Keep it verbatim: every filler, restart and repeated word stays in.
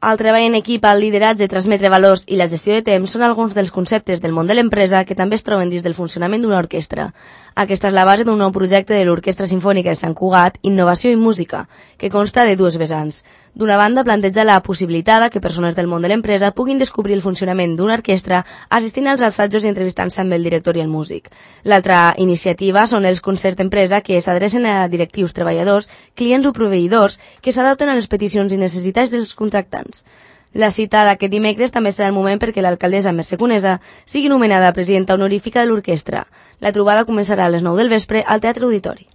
El treball en equip, el lideratge, transmetre valors i la gestió de temps són alguns dels conceptes del món de l'empresa que també es troben dins del funcionament d'una orquestra. Aquesta és la base d'un nou projecte de l'Orquestra Simfònica de Sant Cugat, Innovació i Música, que consta de dues vessants. D'una banda, planteja la possibilitat que persones del món de l'empresa puguin descobrir el funcionament d'una orquestra assistint als assajos i entrevistant-se amb el director i el músic. L'altra iniciativa són els concerts d'empresa que s'adrecen a directius, treballadors, clients o proveïdors que s'adapten a les peticions i necessitats dels contractants. La cita d'aquest dimecres també serà el moment perquè l'alcaldessa Mercè Conesa sigui nomenada presidenta honorífica de l'orquestra. La trobada començarà a les nou del vespre al Teatre Auditori.